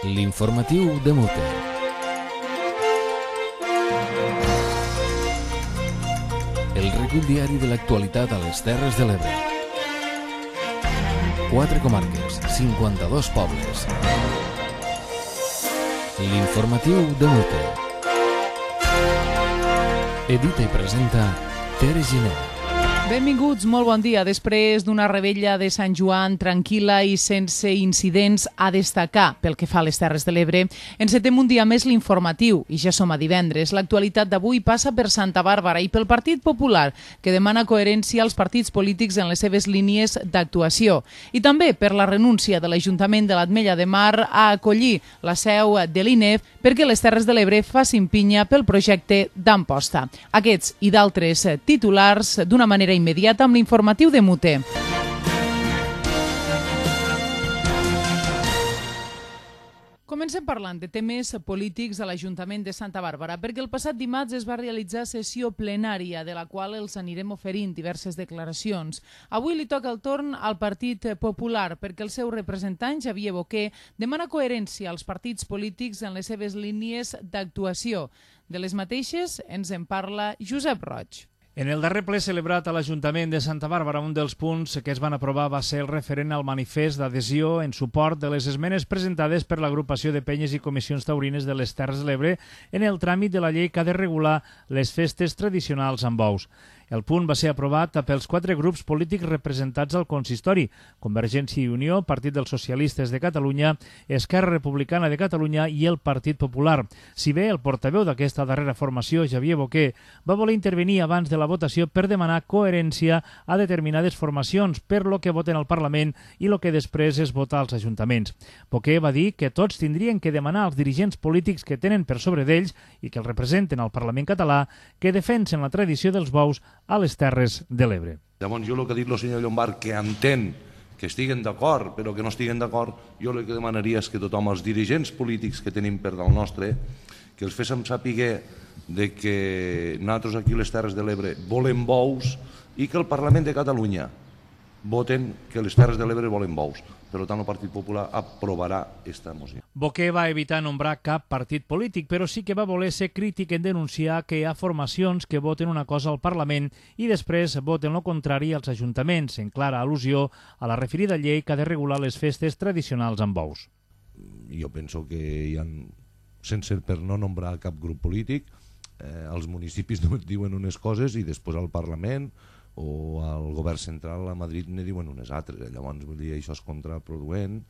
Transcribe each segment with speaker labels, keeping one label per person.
Speaker 1: L'informatiu de Mute. El recull diari de l'actualitat a les Terres de l'Ebre. 4 comarques, 52 pobles. L'informatiu de Mute. Edita i presenta Tere Giner.
Speaker 2: Benvinguts, molt bon dia. Després d'una revetlla de Sant Joan tranquil·la i sense incidents a destacar pel que fa a les Terres de l'Ebre, encetem un dia més l'informatiu i ja som a divendres. L'actualitat d'avui passa per Santa Bàrbara i pel Partit Popular, que demana coherència als partits polítics en les seves línies d'actuació. I també per la renúncia de l'Ajuntament de l'Ametlla de Mar a acollir la seu de l'INEF perquè les Terres de l'Ebre facin pinya pel projecte d'Amposta. Aquests i d'altres titulars d'una manera immediata amb l'informatiu de Mute. Comencem parlant de temes polítics a l'Ajuntament de Santa Bàrbara, perquè el passat dimarts es va realitzar sessió plenària, de la qual els anirem oferint diverses declaracions. Avui li toca el torn al Partit Popular, perquè el seu representant, Xavier Boquer, demana coherència als partits polítics en les seves línies d'actuació. De les mateixes ens en parla Josep Roig.
Speaker 3: En el darrer ple celebrat a l'Ajuntament de Santa Bàrbara, un dels punts que es van aprovar va ser el referent al manifest d'adhesió en suport de les esmenes presentades per l'agrupació de penyes i comissions taurines de les Terres de l'Ebre en el tràmit de la llei que ha de regular les festes tradicionals amb bous. El punt va ser aprovat pels 4 grups polítics representats al consistori: Convergència i Unió, Partit dels Socialistes de Catalunya, Esquerra Republicana de Catalunya i el Partit Popular. Si bé el portaveu d'aquesta darrera formació, Xavier Boquer, va voler intervenir abans de la votació per demanar coherència a determinades formacions per lo que voten al Parlament i lo que després es vota als ajuntaments. Boquer va dir que tots tindrien que demanar als dirigents polítics que tenen per sobre d'ells i que els representen al Parlament català que defensen la tradició dels bous a les Terres de l'Ebre.
Speaker 4: Llavors, jo el que ha dit el senyor Llombard, que entén que estiguen d'acord, però que no estiguen d'acord, jo el que demanaria és que tothom, els dirigents polítics que tenim per dalt nostre, que els féssim saber de que nosaltres aquí a les Terres de l'Ebre volem bous i que el Parlament de Catalunya voten que les Terres de l'Ebre volen bous. Per tant, el Partit Popular aprovarà aquesta moció.
Speaker 3: Boquer va evitar nombrar cap partit polític, però sí que va voler ser crític en denunciar que hi ha formacions que voten una cosa al Parlament i després voten el contrari als ajuntaments, en clara al·lusió a la referida llei que ha de regular les festes tradicionals amb bous.
Speaker 4: Jo penso que hi ha, sense per no nombrar cap grup polític, els municipis diuen unes coses i després al Parlament o al govern central a Madrid ne diuen unes altres. Llavors, vull dir, això és contraproduent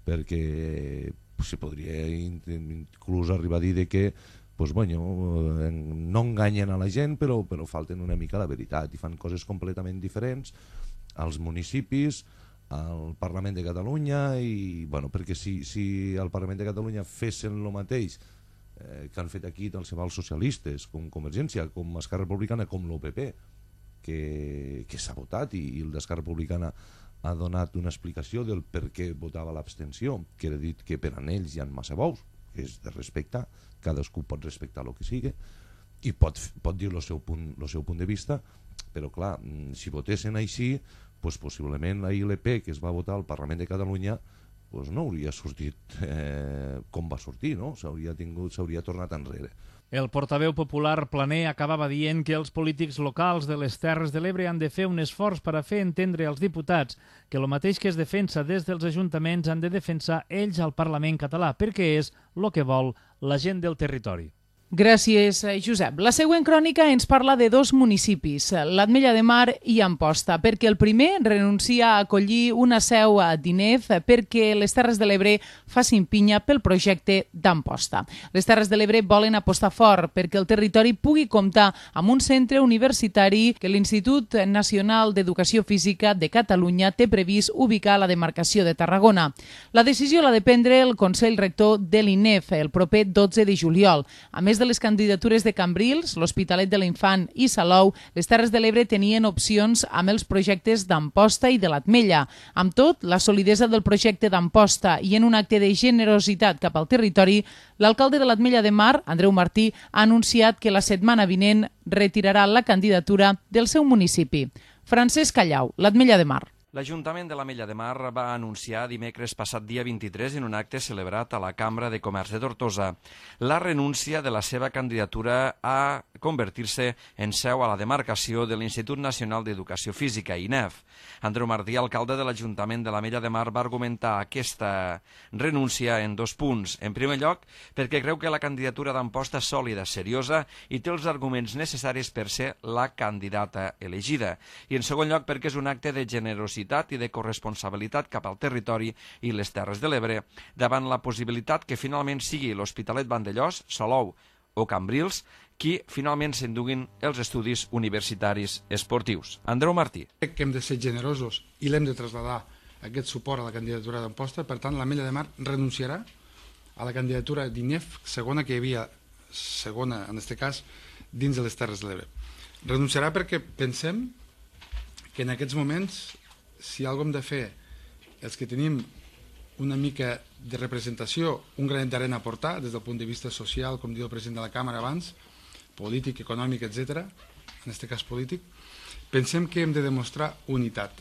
Speaker 4: perquè se podria inclús arribar a dir que no enganyen a la gent però falten una mica la veritat i fan coses completament diferents als municipis, al Parlament de Catalunya perquè si al Parlament de Catalunya fessin el mateix que han fet aquí tant se val socialistes com Convergència, com Esquerra Republicana, com l'OPP, que s'ha votat i el d'Esquerra Republicana ha donat una explicació del per què votava l'abstenció, que era dit que per a ells hi ha massa bous, que és de respectar, cadascú pot respectar el que sigui i pot dir el seu punt de vista, però clar, si votessin així, possiblement la ILP que es va votar al Parlament de Catalunya no hauria sortit com va sortir, no? S'hauria tornat enrere.
Speaker 3: El portaveu popular Planer acabava dient que els polítics locals de les Terres de l'Ebre han de fer un esforç per a fer entendre als diputats que el mateix que es defensa des dels ajuntaments han de defensar ells al Parlament català, perquè és el que vol la gent del territori.
Speaker 2: Gràcies, Josep. La següent crònica ens parla de 2 municipis, l'Ametlla de Mar i Amposta, perquè el primer renuncia a acollir una seu a d'INEF perquè les Terres de l'Ebre facin pinya pel projecte d'Amposta. Les Terres de l'Ebre volen apostar fort perquè el territori pugui comptar amb un centre universitari que l'Institut Nacional d'Educació Física de Catalunya té previst ubicar a la demarcació de Tarragona. La decisió l'ha de prendre el Consell Rector de l'INEF el proper 12 de juliol. A més de les candidatures de Cambrils, l'Hospitalet de l'Infant i Salou, les Terres de l'Ebre tenien opcions amb els projectes d'Amposta i de l'Ametlla. Amb tot, la solidesa del projecte d'Amposta i en un acte de generositat cap al territori, l'alcalde de l'Ametlla de Mar, Andreu Martí, ha anunciat que la setmana vinent retirarà la candidatura del seu municipi. Francesc Callau, l'Ametlla de Mar.
Speaker 5: L'Ajuntament de l'Ametlla de Mar va anunciar dimecres passat dia 23 en un acte celebrat a la Cambra de Comerç de Tortosa la renúncia de la seva candidatura a convertir-se en seu a la demarcació de l'Institut Nacional d'Educació Física, INEF. Andreu Martí, alcalde de l'Ajuntament de l'Ametlla de Mar, va argumentar aquesta renúncia en 2 punts. En primer lloc, perquè creu que la candidatura d'Amposta és sòlida, seriosa i té els arguments necessaris per ser la candidata elegida. I en segon lloc, perquè és un acte de generositat i de corresponsabilitat cap al territori i les Terres de l'Ebre davant la possibilitat que finalment sigui l'Hospitalet Vandellòs, Salou o Cambrils qui finalment s'enduguin els estudis universitaris esportius. Andreu Martí.
Speaker 6: Crec que hem de ser generosos i l'hem de traslladar aquest suport a la candidatura d'Amposta. Per tant, l'Ametlla de Mar renunciarà a la candidatura d'INEF, segona que hi havia, segona en aquest cas, dins de les Terres de l'Ebre. Renunciarà perquè pensem que en aquests moments, si alguna cosa hem de fer els que tenim una mica de representació, un granet d'arena a portar des del punt de vista social, com diu el president de la Càmera abans, polític, econòmic, etc., en aquest cas polític, pensem que hem de demostrar unitat.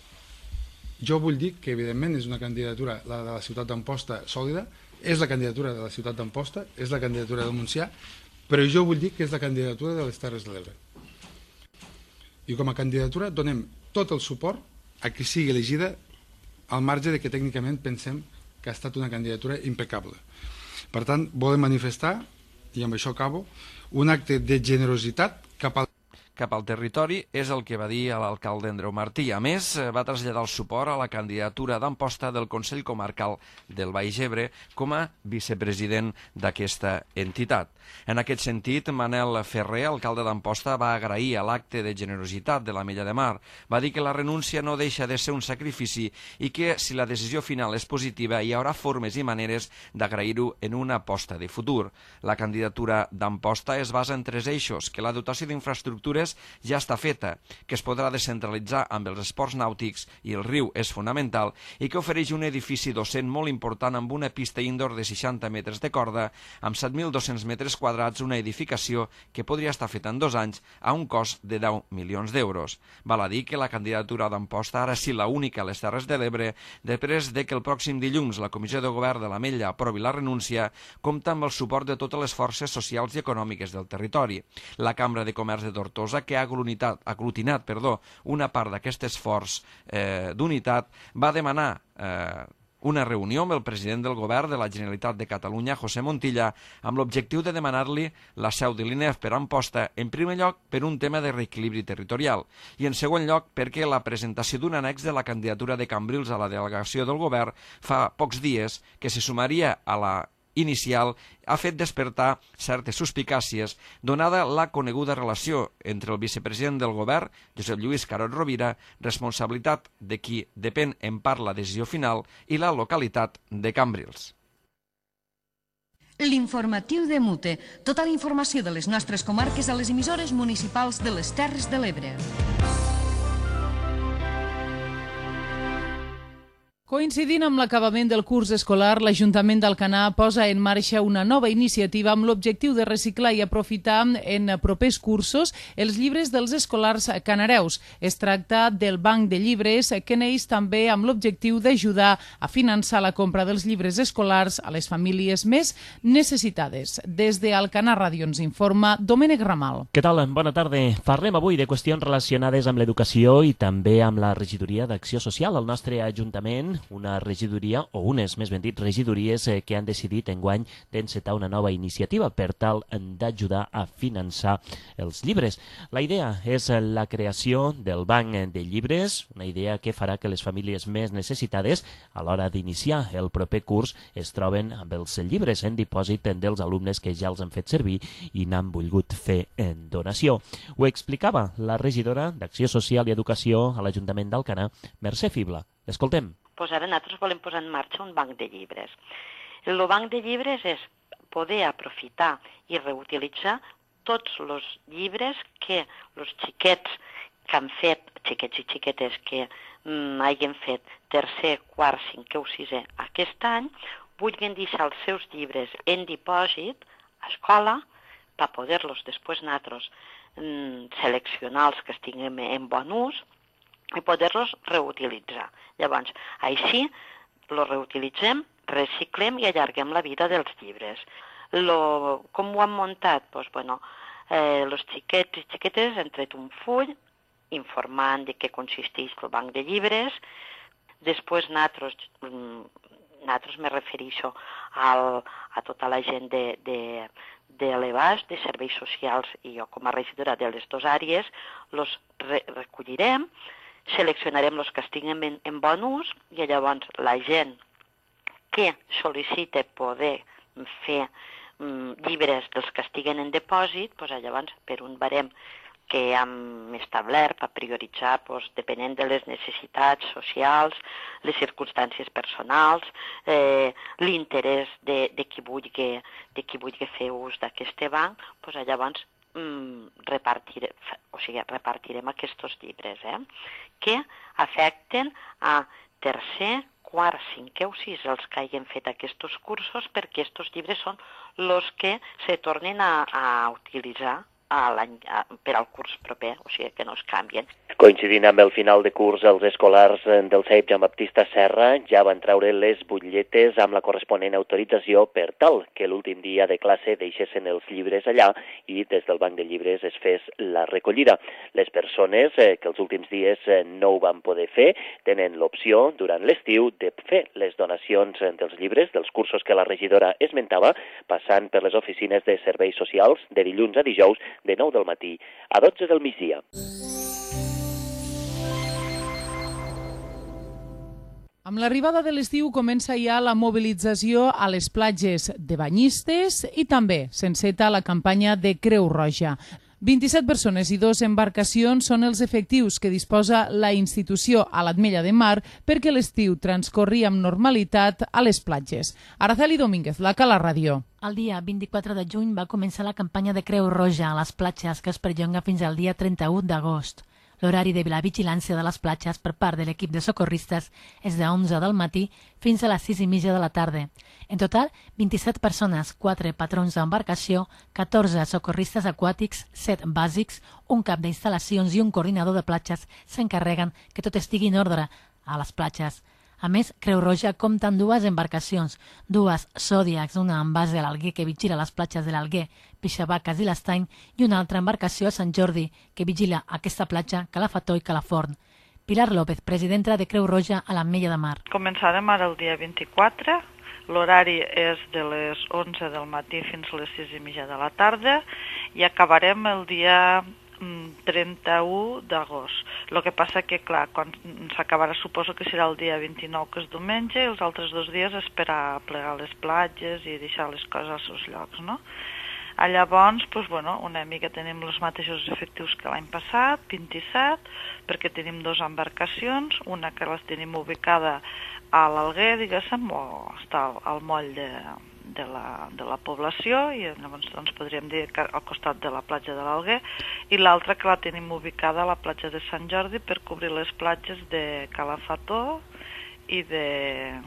Speaker 6: Jo vull dir que, evidentment, és una candidatura, la de la ciutat d'Amposta, sòlida, és la candidatura de la ciutat d'Amposta, és la candidatura del Montsià, però jo vull dir que és la candidatura de les Terres de l'Ebre. I com a candidatura donem tot el suport a que sigui elegida al marge de que tècnicament pensem que ha estat una candidatura impecable. Per tant, volem manifestar, i amb això acabo, un acte de generositat cap
Speaker 5: al territori, és el que va dir l'alcalde Andreu Martí. A més, va traslladar el suport a la candidatura d'Amposta del Consell Comarcal del Baix Ebre com a vicepresident d'aquesta entitat. En aquest sentit, Manel Ferrer, alcalde d'Amposta, va agrair a l'acte de generositat de l'Ametlla de Mar. Va dir que la renúncia no deixa de ser un sacrifici i que, si la decisió final és positiva, hi haurà formes i maneres d'agrair-ho en una aposta de futur. La candidatura d'Amposta es basa en 3 eixos, que la dotació d'infraestructures ja està feta, que es podrà descentralitzar amb els esports nàutics i el riu és fonamental i que ofereix un edifici docent molt important amb una pista indoor de 60 metres de corda, amb 7.200 metres quadrats, una edificació que podria estar feta en 2 anys a un cost de 10 milions d'euros. Val a dir que la candidatura d'Amposta ara sí la única a les Terres de l'Ebre, després de que el pròxim dilluns la Comissió de Govern de l'Ametlla aprovi la renúncia, compta amb el suport de totes les forces socials i econòmiques del territori. La Cambra de Comerç de Tortosa, que ha aglutinat una part d'aquest esforç d'unitat, va demanar una reunió amb el president del govern de la Generalitat de Catalunya, José Montilla, amb l'objectiu de demanar-li la seu de l'INEF per Amposta, en primer lloc per un tema de reequilibri territorial i en segon lloc perquè la presentació d'un annex de la candidatura de Cambrils a la delegació del govern fa pocs dies, que se sumaria a la inicial, ha fet despertar certes suspicàcies donada la coneguda relació entre el vicepresident del govern, Josep Lluís Carod Rovira, responsabilitat de qui depèn en part la decisió final, i la localitat de Cambrils.
Speaker 7: L'informatiu de Mute. Tota la informació de les nostres comarques a les emissores municipals de les Terres de l'Ebre.
Speaker 2: Coincidint amb l'acabament del curs escolar, l'Ajuntament d'Alcanar posa en marxa una nova iniciativa amb l'objectiu de reciclar i aprofitar en propers cursos els llibres dels escolars canareus. Es tracta del banc de llibres que neix també amb l'objectiu d'ajudar a finançar la compra dels llibres escolars a les famílies més necessitades. Des d'Alcanar Ràdio ens informa Domènec Ramal.
Speaker 8: Què tal? Bona tarda. Parlem avui de qüestions relacionades amb l'educació i també amb la regidoria d'Acció Social al nostre Ajuntament, una regidoria, o unes, més ben dit, regidories que han decidit enguany d'encetar una nova iniciativa per tal d'ajudar a finançar els llibres. La idea és la creació del banc de llibres, una idea que farà que les famílies més necessitades, a l'hora d'iniciar el proper curs, es troben amb els llibres en dipòsit dels alumnes que ja els han fet servir i n'han volgut fer en donació. Ho explicava la regidora d'Acció Social i Educació a l'Ajuntament d'Alcanar, Mercè Fibla. Escoltem.
Speaker 9: Pues ara nosaltres volem posar en marxa un banc de llibres. El banc de llibres és poder aprofitar i reutilitzar tots els llibres que els xiquets que han fet, xiquets i xiquetes que hagin fet tercer, quart, cinquè o sisè aquest any, vulguin deixar els seus llibres en dipòsit a escola per poder-los després nosaltres seleccionar els que estiguem en bon ús i poder-los reutilitzar. Llavors, així els reutilitzem, reciclem i allarguem la vida dels llibres. Com ho han muntat? Els xiquets i xiquetes han tret un full informant de què consisteix el banc de llibres. Després nosaltres me refereixo a tota la gent de l'EBAS, de serveis socials, i jo com a regidora de les dues àrees, els recollirem, seleccionarem els que estiguin en bon ús, i llavors la gent que sol·licita poder fer llibres dels que estiguen en dipòsit, llavors per un barem que hem establert per prioritzar, depenent de les necessitats socials, les circumstàncies personals, l'interès de qui vulgui fer ús d'aquest banc, llavors repartirem aquests llibres que afecten a tercer, quart, cinquè o sis els que hagin fet aquests cursos, perquè aquests llibres són els que se tornen a utilitzar per al curs proper, o sigui que no es canvien.
Speaker 8: Coincidint amb el final de curs, els escolars del CEIP Joan Baptista Serra ja van treure les butlletes amb la corresponent autorització per tal que l'últim dia de classe deixessin els llibres allà i des del banc de llibres es fes la recollida. Les persones que els últims dies no ho van poder fer tenen l'opció durant l'estiu de fer les donacions dels llibres, dels cursos que la regidora esmentava, passant per les oficines de serveis socials de dilluns a dijous de 9 del matí a 12 del migdia.
Speaker 2: Amb l'arribada de l'estiu comença ja la mobilització a les platges de banyistes i també s'enceta la campanya de Creu Roja. 27 persones i 2 embarcacions són els efectius que disposa la institució a l'Ametlla de Mar perquè l'estiu transcorri amb normalitat a les platges. Araceli Domínguez, la Cala Ràdio.
Speaker 10: El dia 24 de juny va començar la campanya de Creu Roja a les platges que es perllonga fins al dia 31 d'agost. L'horari de la vigilància de les platges per part de l'equip de socorristes és de 11 del matí fins a les 6:30 de la tarda. En total, 27 persones, 4 patrons d'embarcació, 14 socorristes aquàtics, 7 bàsics, un cap d'instal·lacions i un coordinador de platges s'encarreguen que tot estigui en ordre a les platges. A més, Creu Roja compta amb 2 embarcacions, 2 Zodiacs, una amb base a l'Alguer que vigila les platges de l'Alguer, Pixabaques i l'Estany, i una altra embarcació a Sant Jordi que vigila aquesta platja, Calafató i Calaforn. Pilar López, presidenta de Creu Roja a l'Ametlla de Mar.
Speaker 11: Començarem ara el dia 24, l'horari és de les 11 del matí fins a les 6:30 de la tarda i acabarem el dia 31 d'agost. El que passa que, clar, quan s'acabarà suposo que serà el dia 29, que és diumenge, i els altres 2 dies esperar a plegar les platges i deixar les coses als seus llocs, no? Llavors, una mica tenim els mateixos efectius que l'any passat, 27, perquè tenim 2 embarcacions, una que les tenim ubicada a l'Alguer, diguéssim, o està al moll de la població, i llavors podríem dir que al costat de la platja de l'Alguer, i l'altra que la tenim ubicada a la platja de Sant Jordi per cobrir les platges de Calafató i de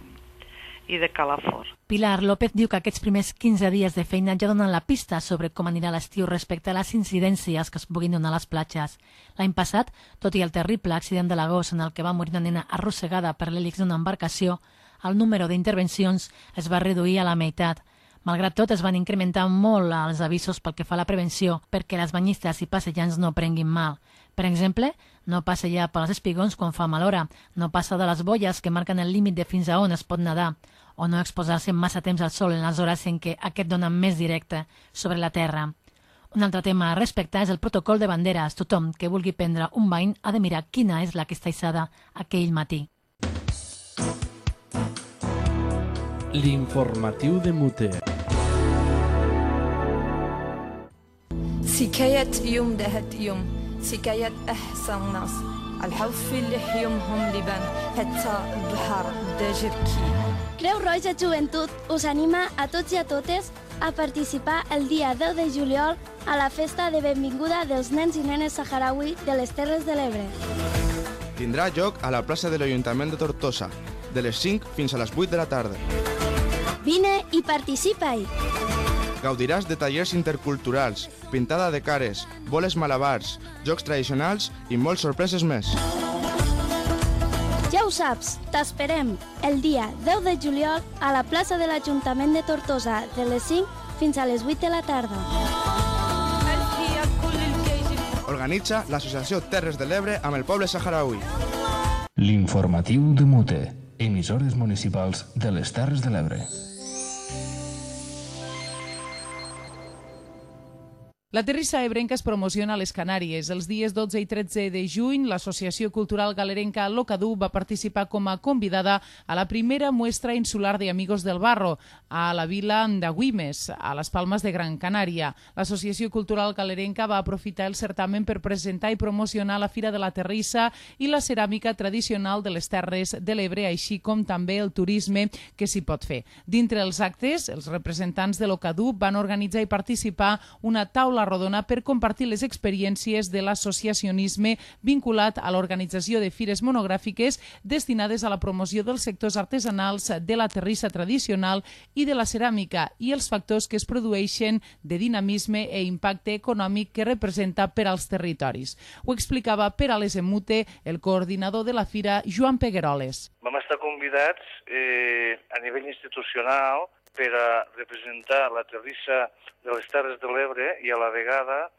Speaker 11: Calafort.
Speaker 10: Pilar López diu que aquests primers 15 dies de feina ja donen la pista sobre com anirà l'estiu respecte a les incidències que es puguin donar a les platges. L'any passat, tot i el terrible accident de l'agost en el que va morir una nena arrossegada per l'hèlix d'una embarcació, el número d'intervencions es va reduir a la meitat. Malgrat tot, es van incrementar molt els avisos pel que fa a la prevenció perquè les banyistes i passejants no prenguin mal. Per exemple, no passejar pels espigons quan fa mal hora, no passar de les boies que marquen el límit de fins a on es pot nedar, o no exposar-se massa temps al sol en les hores en què aquest dona més directe sobre la terra. Un altre tema a respectar és el protocol de banderes. Tothom que vulgui prendre un bany ha de mirar quina és la que està hissada aquell matí.
Speaker 1: L'informatiu de Muter.
Speaker 12: سكاية يوم دهت يوم سكاية أحسن ناس الحوف اللي يومهم لبان حتى البحر داجركي.
Speaker 13: Creu Roja Joventut us anima a tots i a totes a participar el dia 10 de juliol a la festa de benvinguda dels nens i nenes saharaui de les Terres de l'Ebre.
Speaker 14: Tindrà lloc a la plaça de l'Ajuntament de Tortosa, de les 5 fins a les 8 de la tarda.
Speaker 13: Vine i participa-hi!
Speaker 14: Gaudiràs de tallers interculturals, pintada de cares, boles malabars, jocs tradicionals i moltes sorpreses més.
Speaker 13: saps, t'esperem el dia 10 de juliol a la plaça de l'Ajuntament de Tortosa de les 5 fins a les 8 de la tarda.
Speaker 14: Organitza l'Associació Terres de l'Ebre amb el poble saharaui.
Speaker 1: L'informatiu de Mute, emissores municipals de les Terres de l'Ebre.
Speaker 2: La Terrissa Ebrenca es promociona a les Canàries. Els dies 12 i 13 de juny, l'Associació Cultural Galerenca Locadú va participar com a convidada a la primera muestra insular de Amigos del Barro a la vila d'Agüimes, a les Palmes de Gran Canària. L'Associació Cultural Galerenca va aprofitar el certamen per presentar i promocionar la Fira de la Terrissa i la ceràmica tradicional de les Terres de l'Ebre, així com també el turisme que s'hi pot fer. Dintre els actes, els representants de Locadú van organitzar i participar una taula rodona per compartir les experiències de l'associacionisme vinculat a l'organització de fires monogràfiques destinades a la promoció dels sectors artesanals, de la terrissa tradicional i de la ceràmica i els factors que es produeixen de dinamisme i impacte econòmic que representa per als territoris. Ho explicava per a les Emute el coordinador de la fira, Joan Pegueroles.
Speaker 15: Vam estar convidats a nivell institucional per a representar la terrissa de les Terres de l'Ebre i a la vegada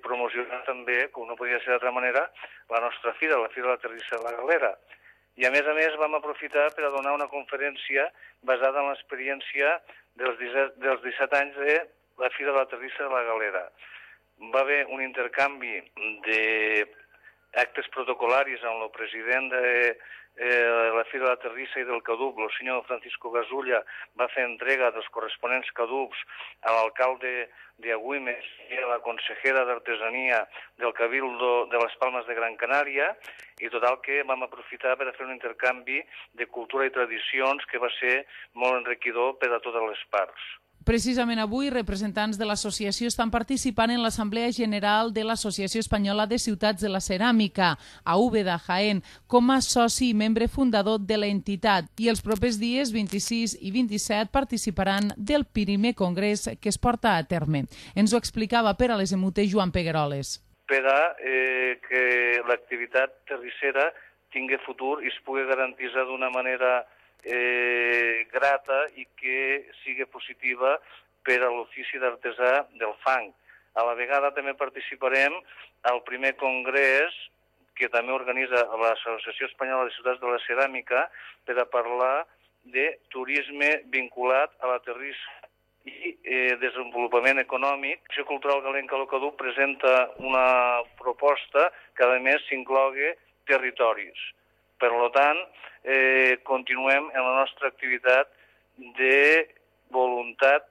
Speaker 15: promocionar també, com no podia ser d'altra manera, la nostra fira, la Fira de la Terrissa de la Galera. I a més vam aprofitar per a donar una conferència basada en l'experiència dels 17 anys de la Fira de la Terrissa de la Galera. Va haver un intercanvi d'actes protocolaris amb el president de la Fira de la Terrissa i del Cadup, el senyor Francisco Gasulla, va fer entrega dels corresponents cadups a l'alcalde d'Agüimes i a la consejera d'Artesania del Cabildo de les Palmes de Gran Canària, i total que vam aprofitar per a fer un intercanvi de cultura i tradicions que va ser molt enriquidor per a totes les parts.
Speaker 2: Precisament avui, representants de l'associació estan participant en l'Assemblea General de l'Associació Espanyola de Ciutats de la Ceràmica, a Úbeda, Jaén, com a soci i membre fundador de l'entitat. I els propers dies 26 i 27 participaran del primer congrés que es porta a terme. Ens ho explicava per a les Emute Joan Pegueroles.
Speaker 15: Per a que l'activitat terrissera tingui futur i es pugui garantir d'una manera grata i que sigui positiva per a l'ofici d'artesà del fang. A la vegada també participarem al primer congrés que també organitza l'Associació Espanyola de Ciutats de la Ceràmica per a parlar de turisme vinculat a la terrissa i desenvolupament econòmic. L'Associació Cultural Galerenca Locadú presenta una proposta que a més s'inclogui territoris. Per tant, continuem en la nostra activitat de voluntat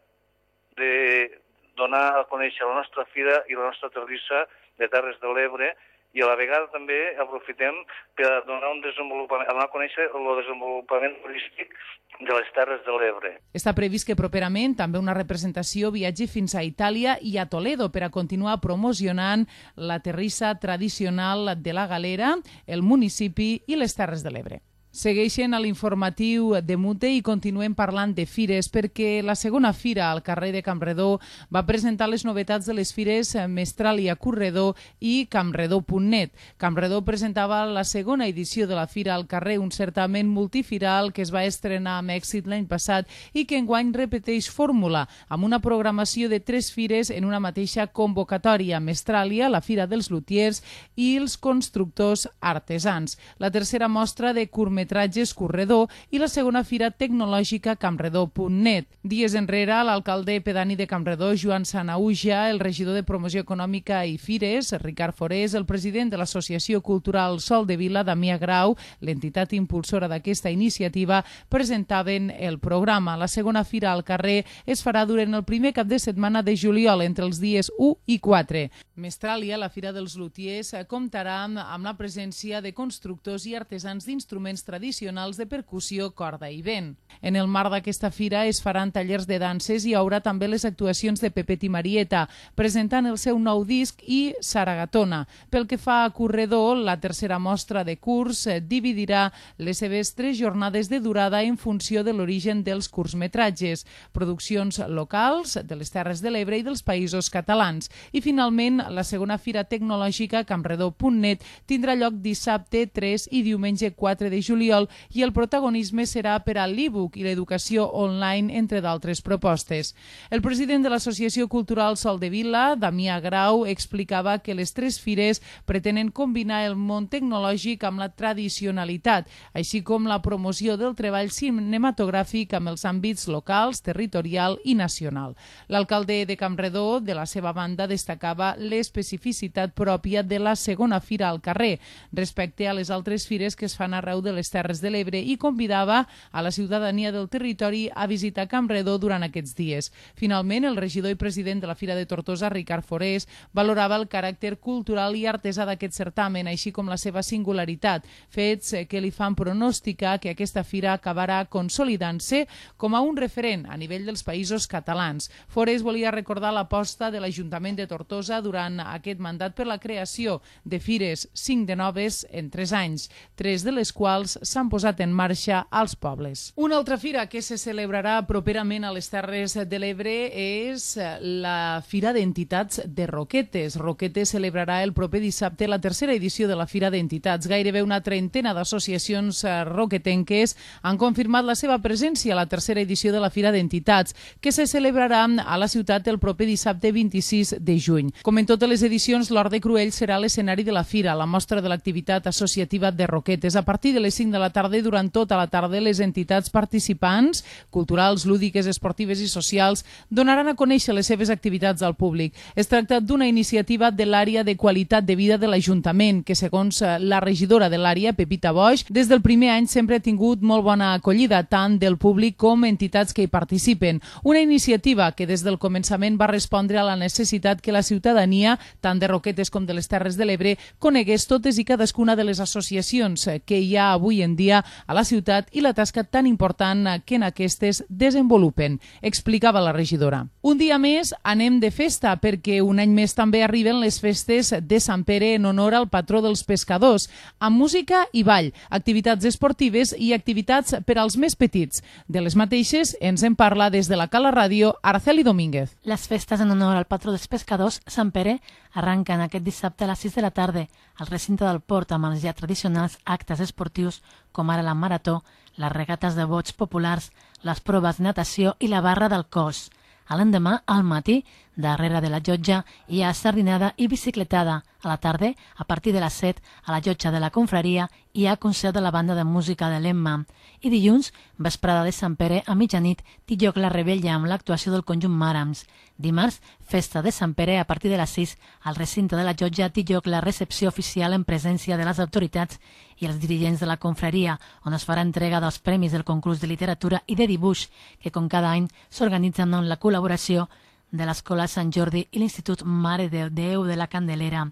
Speaker 15: de donar a conèixer la nostra fira i la nostra terrissa de Terres de l'Ebre i a la vegada també aprofitem per a donar a conèixer el desenvolupament turístic de les Terres de l'Ebre.
Speaker 2: Està previst que properament també una representació viatgi fins a Itàlia i a Toledo per a continuar promocionant la terrissa tradicional de la Galera, el municipi i les Terres de l'Ebre. Segueixen a l'informatiu de Mute i continuem parlant de fires perquè la segona fira al carrer de Campredó va presentar les novetats de les fires Mestralia Corredor i Campredó.net. Campredó presentava la segona edició de la fira al carrer, un certamen multifiral que es va estrenar amb èxit l'any passat i que enguany repeteix fórmula amb una programació de 3 fires en una mateixa convocatòria: Mestralia, la Fira dels Lutiers i els constructors artesans. La tercera mostra de curtmetratges Corredor i la segona fira tecnològica Campredó.net. Dies enrere, l'alcalde pedani de Campredó, Joan Sanauja, el regidor de Promoció Econòmica i Fires, Ricard Forés, el president de l'Associació Cultural Sol de Vila, Damià Grau, l'entitat impulsora d'aquesta iniciativa, presentaven el programa. La segona fira al carrer es farà durant el primer cap de setmana de juliol, entre els dies 1 i 4. Mestralia, la Fira dels Lutiers, comptarà amb la presència de constructors i artesans d'instruments tradicionals de percussió, corda i vent. En el marc d'aquesta fira es faran tallers de danses i hi haurà també les actuacions de Pepet i Marieta, presentant el seu nou disc i Saragatona. Pel que fa a Corredor, la tercera mostra de curs dividirà les seves 3 jornades de durada en funció de l'origen dels curtmetratges, produccions locals de les Terres de l'Ebre i dels Països Catalans. I finalment, la segona fira tecnològica Campredó.net tindrà lloc dissabte 3 i diumenge 4 de juliol juliol i el protagonisme serà per a l'e-book i l'educació online, entre d'altres propostes. El president de l'Associació Cultural Sol de Vila, Damià Grau, explicava que les 3 fires pretenen combinar el món tecnològic amb la tradicionalitat, així com la promoció del treball cinematogràfic amb els àmbits locals, territorial i nacional. L'alcalde de Campredó, de la seva banda, destacava l'especificitat pròpia de la segona fira al carrer respecte a les altres fires que es fan arreu de les Terres de l'Ebre i convidava a la ciutadania del territori a visitar Campredó durant aquests dies. Finalment, el regidor i president de la Fira de Tortosa, Ricard Forés, valorava el caràcter cultural i artesà d'aquest certamen, així com la seva singularitat, fets que li fan pronosticar que aquesta fira acabarà consolidant-se com a un referent a nivell dels països catalans. Forés volia recordar l'aposta de l'Ajuntament de Tortosa durant aquest mandat per la creació de fires, 5 de noves en 3 anys, 3 de les quals s'han posat en marxa als pobles. Una altra fira que se celebrarà properament a les Terres de l'Ebre és la Fira d'Entitats de Roquetes. Roquetes celebrarà el proper dissabte la 3a edició de la Fira d'Entitats. Gairebé una trentena d'associacions roquetenques han confirmat la seva presència a la 3a edició de la Fira d'Entitats, que se celebrarà a la ciutat el proper dissabte 26 de juny. Com en totes les edicions, l'Hort de Cruells serà l'escenari de la fira, la mostra de l'activitat associativa de Roquetes. A partir de les 5 de la tarda i durant tota la tarda, les entitats participants, culturals, lúdiques, esportives i socials, donaran a conèixer les seves activitats al públic. Es tracta d'una iniciativa de l'àrea de qualitat de vida de l'Ajuntament, que segons la regidora de l'àrea, Pepita Boix, des del primer any sempre ha tingut molt bona acollida, tant del públic com entitats que hi participen. Una iniciativa que des del començament va respondre a la necessitat que la ciutadania, tant de Roquetes com de les Terres de l'Ebre, conegués totes i cadascuna de les associacions que hi ha avui en dia a la ciutat i la tasca tan important que en aquestes desenvolupen, explicava la regidora. Un dia més anem de festa perquè un any més també arriben les festes de Sant Pere en honor al patró dels pescadors, amb música i ball, activitats esportives i activitats per als més petits. De les mateixes ens en parla des de la Cala Ràdio Araceli Domínguez.
Speaker 10: Les festes en honor al patró dels pescadors, Sant Pere, arrenquen aquest dissabte a les 6 de la tarda al recinte del port amb els ja tradicionals actes esportius com ara la marató, les regates de bots populars, les proves de natació i la barra del cos. A l'endemà, al matí, darrere de la llotja, hi ha sardinada i bicicletada. A la tarda, a partir de les 7, a la llotja de la confraria, hi ha concert de la banda de música de l'Emma. I dilluns, vesprada de Sant Pere, a mitjanit, té lloc la rebella amb l'actuació del conjunt Màrams. Dimarts, festa de Sant Pere, a partir de les 6, al recinte de la llotja té lloc la recepció oficial en presència de les autoritats i els dirigents de la confraria, on es farà entrega dels premis del concurs de literatura i de dibuix, que com cada any s'organitzen amb la col·laboració de l'Escola Sant Jordi i l'Institut Mare de Déu de la Candelera.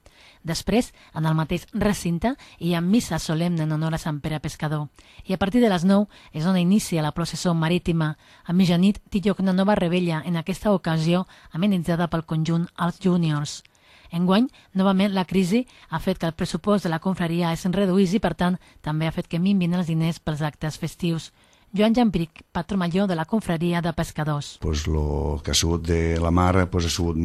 Speaker 10: Després, en el mateix recinte, hi ha missa solemne en honor a Sant Pere Pescador. I a partir de les 9 és on inicia la processó marítima. A mitjanit té lloc una nova rebella, en aquesta ocasió amenitzada pel conjunt Els Júniors. Enguany, novament, la crisi ha fet que el pressupost de la confraria es reduís i, per tant, també ha fet que minvin els diners pels actes festius. Joan Jambric, patró major de la confraria de pescadors.
Speaker 16: El que ha sigut de la mar ha sigut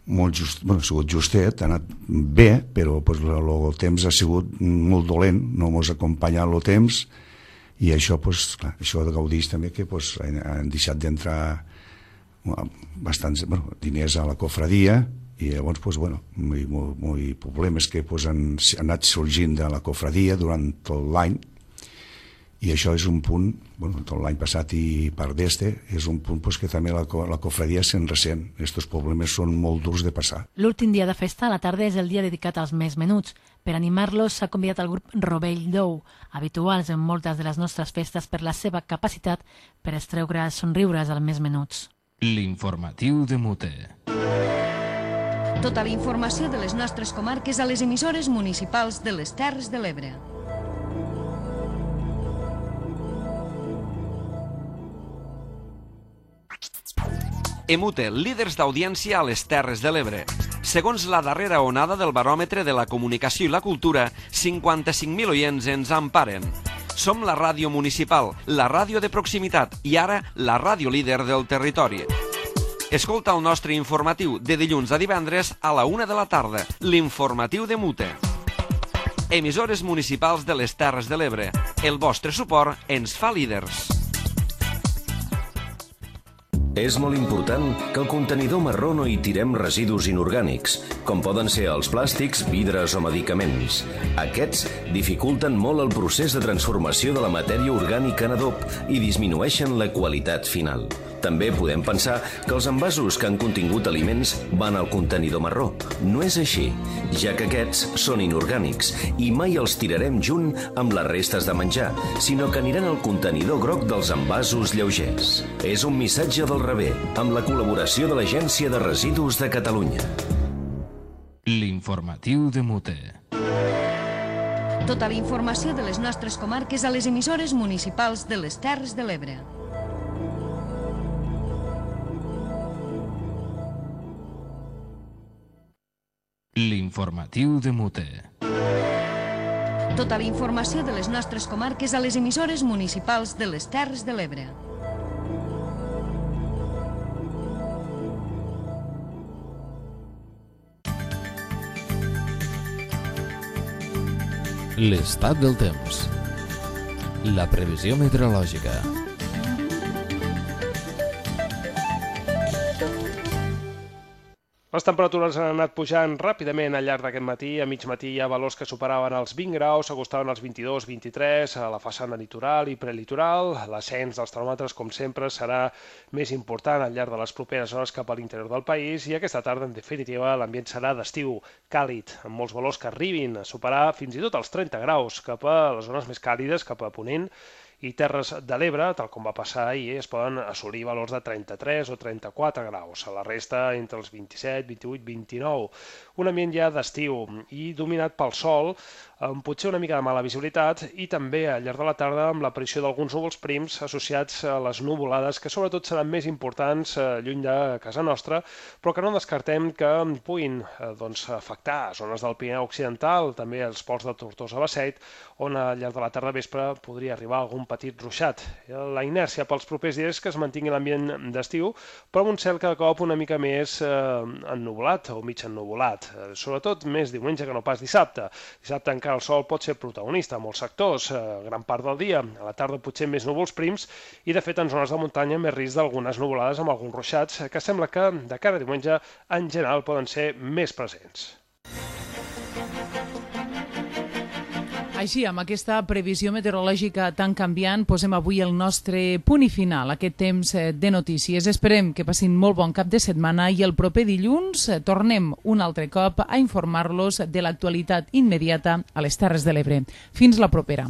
Speaker 16: ha sigut justet, ha anat bé, però el temps ha sigut molt dolent, no ens ha acompanyat el temps i això, això gaudeix també que han deixat d'entrar bastants diners a la confraria i llavors problemes que han anat sorgint de la confraria durant tot l'any. I això és un punt, tot l'any passat i part d'este, és un punt que també la confraria se'n ressent. Aquests problemes són molt durs de passar.
Speaker 10: L'últim dia de festa a la tarda és el dia dedicat als més menuts. Per animar-los s'ha convidat el grup Rovell d'Ou, habituals en moltes de les nostres festes per la seva capacitat per extreure somriures als més menuts.
Speaker 1: L'informatiu de Mute.
Speaker 7: Tota la informació de les nostres comarques a les emissores municipals de les Terres de l'Ebre.
Speaker 5: Emute, líders d'audiència a les Terres de l'Ebre. Segons la darrera onada del baròmetre de la comunicació i la cultura, 55.000 oients ens emparen. Som la ràdio municipal, la ràdio de proximitat i ara la ràdio líder del territori. Escolta el nostre informatiu de dilluns a divendres a la 1 de la tarda, l'informatiu de Mute. Emissores municipals de les Terres de l'Ebre. El vostre suport ens fa líders.
Speaker 17: És molt important que al contenidor marró no hi tirem residus inorgànics, com poden ser els plàstics, vidres o medicaments. Aquests dificulten molt el procés de transformació de la matèria orgànica en adob i disminueixen la qualitat final. També podem pensar que els envasos que han contingut aliments van al contenidor marró. No és així, ja que aquests són inorgànics i mai els tirarem junt amb les restes de menjar, sinó que aniran al contenidor groc dels envasos lleugers. És un missatge del rebé, amb la col·laboració de l'Agència de Residus de Catalunya.
Speaker 1: L'informatiu de Mute.
Speaker 7: Tota la informació de les nostres comarques a les emissores municipals de les Terres de l'Ebre.
Speaker 1: L'informatiu de Mute.
Speaker 7: Tota la informació de les nostres comarques a les emissores municipals de les Terres de l'Ebre.
Speaker 18: L'estat del temps. La previsió meteorològica.
Speaker 19: Les temperatures han anat pujant ràpidament al llarg d'aquest matí. A mig matí hi ha valors que superaven els 20 graus, s'acostaven als 22-23 a la façana litoral i prelitoral. L'ascens dels termòmetres, com sempre, serà més important al llarg de les properes hores cap a l'interior del país i aquesta tarda, en definitiva, l'ambient serà d'estiu càlid, amb molts valors que arribin a superar fins i tot els 30 graus cap a les zones més càlides, cap a Ponent i Terres de l'Ebre, tal com va passar ahir, es poden assolir valors de 33 o 34 graus. A la resta, entre els 27, 28, 29. Un ambient ja d'estiu i dominat pel sol, amb potser una mica de mala visibilitat i també al llarg de la tarda amb l'aparició d'alguns núvols prims associats a les nuvolades que sobretot seran més importants lluny de casa nostra, però que no descartem que puguin afectar zones del Pirineu Occidental, també els ports de Tortosa-Basseit, on al llarg de la tarda vespre podria arribar algun petit ruixat. La inèrcia pels propers dies que es mantingui l'ambient d'estiu, però amb un cel cada cop una mica més ennuvolat o mig ennuvolat, sobretot més diumenge que no pas dissabte. Dissabte encara el sol pot ser protagonista en molts sectors, gran part del dia. A la tarda potser més núvols prims i, de fet, en zones de muntanya més risc d'algunes nuvolades amb alguns ruixats que sembla que de cara a diumenge en general poden ser més presents.
Speaker 2: Així, amb aquesta previsió meteorològica tan canviant, posem avui el nostre punt i final, aquest temps de notícies. Esperem que passin molt bon cap de setmana i el proper dilluns tornem un altre cop a informar-los de l'actualitat immediata a les Terres de l'Ebre. Fins la propera.